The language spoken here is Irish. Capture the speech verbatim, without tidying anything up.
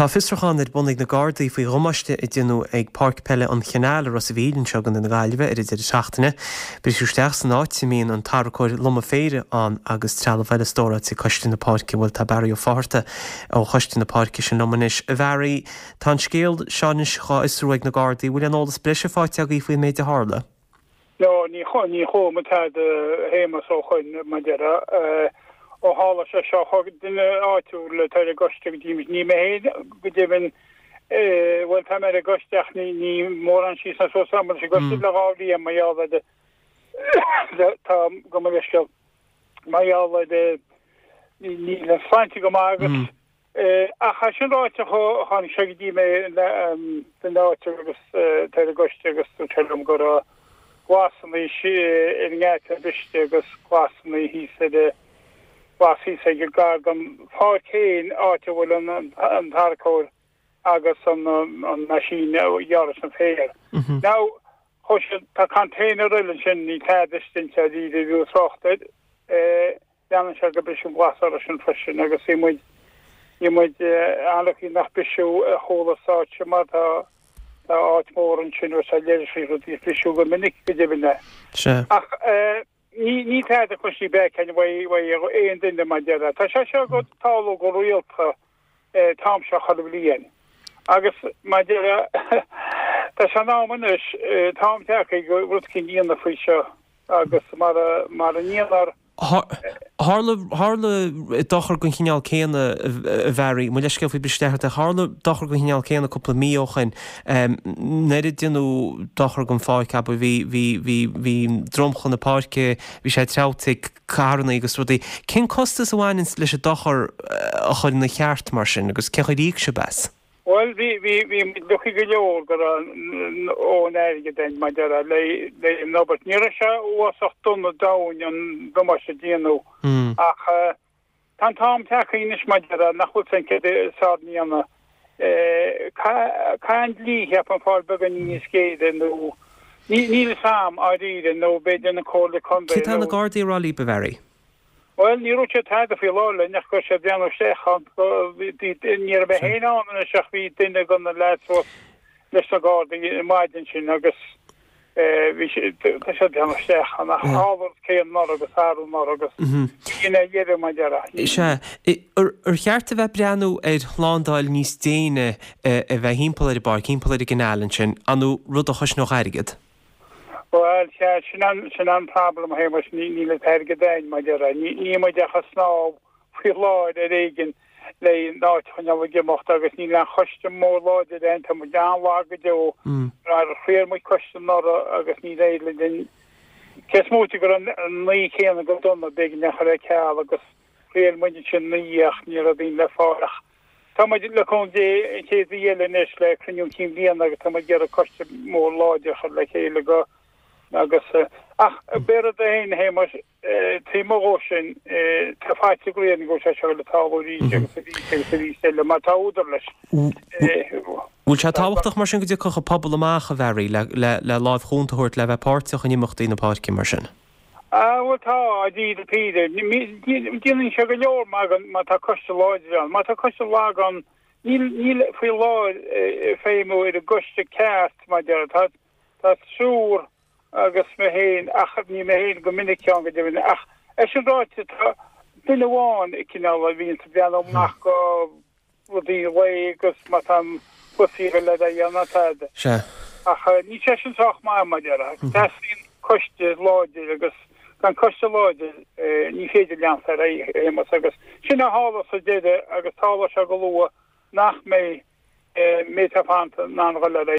Tá fiosrúchán ar bun ag na Gardaí faoi dhamáiste a déanadh ag Páirc Peile an Chanáil i Ros a' Mhíl anseo i gContae na Gaillimhe ar an deireadh seachtaine. Briseadh isteach san áit a mbíonn an tarracóir lomadh féir ann agus trealamh eile stóráilte ag Coiste na Páirce. Bhuel tá Barry Ó Fátharta ó Choiste na Páirce sin liom anois. A Bharry, tá an scéal seo anois dhá fhiosrú ag na Gardaí. Bhfuil aon eolas breise faighte agaibh faoin méid a tharla? No, ní ní chuala mé tada a Shéamais ó shoin mar déarfá ó tharla sé seo thug duine áitiúil atá ar an gcoiste go dtí ní mé féin go deimhin bhuel tá mé ar an gcoiste ach ní ní mórán síos ná suas agam leis an gcoiste le dhá bhliain mar gheall ar tá go mo leithscéal mar gheall ar níl an sláinte go maith agus ach é sin ráite tháinig sé go dtí mé duine áitiúil agus tá ar an gcoiste agus dúirt sé liom go raibh glasanna ar an ngeata briste agus glasanna thíos ar glas thíos ag gar don pháirc féin áit a bhfuil an an tarracóir agus an an machine a ghearras an féar. Now chuaigh siad tá container eile ansin ní tada istigh inti ní bhíodh trácht air leanann sé go briseadh glas orthu sin freisin agus bhí muid bhí muid an-lucky nach briseadh a chuala sa áit mar tá tá áit mór ansin agus tá leithrisí rudaí briseadh go minic go deimhin é. Sea. Ach ní ní tada cloiste b'fhéidir uaidh aon duine mar déarfá. Tá sé seo go tarlú go rialta an t-am seo chuile bhliain. Agus mar déarfá tá sé in am anois an t-am tagtha go rud éicint a dhéanamh faoi seo agus mar mar a ndéanar Tharla tharla dochar den chineál céanna a Bharry, mo leithscéal faoi briseadh isteach, tharla dochar den chineál céanna cúpla mí ó shin. Nuair a déanadh dochar don pháirc abair bhí bhí bhí bhí dromchla na páirce, bhí sé treabhta ag carranna agus rudaí. Cén costas a bhaineann leis an dochar a chur ina cheart mar sin agus cén chaoi ar íoc sibh as? Bhuel bhí bhí bhí muid lucky go leor go raibh an airgead againn mar déarfá le le an obair. Ní raibh sé uafásach dona domhain an damáiste a déanadh ach tá an t-am tagtha anois mar déarfá nach bhfuil san céard is fearr a dhéanamh. Caithfidh an dlí cheapfainn fáil beagáinín níos géire nó ní níl fhios a'm dáiríre nó b'fhéidir na Comhairle Contae Cé tá na Gardaí a rá libh a Bharry? Bhuel, ní raibh sé tada faoi láthair linn ach go raibh sé ag breathnú isteach ann. Ní raibh mé féin ann anois ach bhí duine de na leaids thuas leis na Gardaí an maidin sin agus bhí sé tá sé ag breathnú isteach ann ach tharla an céanna anuraidh agus arú anuraidh agus bhí ina dheireadh mar déarfá. Sea. Ar cheart a bheith breathnú ar shlándáil níos déine a bheith thimpeall ar an bpáirc, thimpeall ar an gcanáil ansin, an rud a chosnódh airgead? Bhuel, sea, sin an, sin an problem, a Shéamais, ní, níl an t-airgead againn, mar déarfá. Ní, níl muid ach ag snámh faoi láthair ar éigean le an áit a choinneáil ag imeacht agus níl aon choiste mór láidir againn, tá muid an-lag go deo. Mar thriail muid coiste anuraidh agus níor éirigh linn. Cé is móite go raibh an naoi céanna go dona, b'éigean é a chur ar ceal agus thriail muid ansin naoi ach ní raibh daoine le fáil ach tá muid le cúnamh Dé an chéad mhí eile anois le cruinniú cinn bhliana agus tá muid ag iarraidh coiste mór láidir a chur le chéile go agus ach b'é rud é féin a Shéamais taobh amuigh dhó sin tá faitíos go go bhfuil sé seo le tarlú arís agus arís agus arís eile mar tá údar leis. Bhfuil sé tábhachtach mar sin go dtiocfadh an pobal amach a Bharry le le le láimh chúnta a thabhairt le bheith páirteach in imeachtaí na páirce mar sin? Ah bhuel tá dáiríre píre. Déanann sé go leor má tá coiste láidir ann. Má tá coiste lag ann níl níl faoi láthair feidhmiú ar an gcoiste ceart mar déarfá. Tá tá triúr agus mé féin ach ní mé féin go minic ann go deimhin ach é sin ráite tá duine amháin cineál a bhíonn ag breathnú amach go rudaí lae agus má tá an cluichí le dhéanamh tada. Sea. Ach ní sé sin sách maith mar déarfá. Teastaíonn coiste láidir agus gan coiste láidir ní féidir leanacht ar aghaidh a Shéamais agus sin a tharla sa deireadh agus tarlóidh sé go luath nach mbeidh mé tá fanta ná an ghoil ar aghaidh.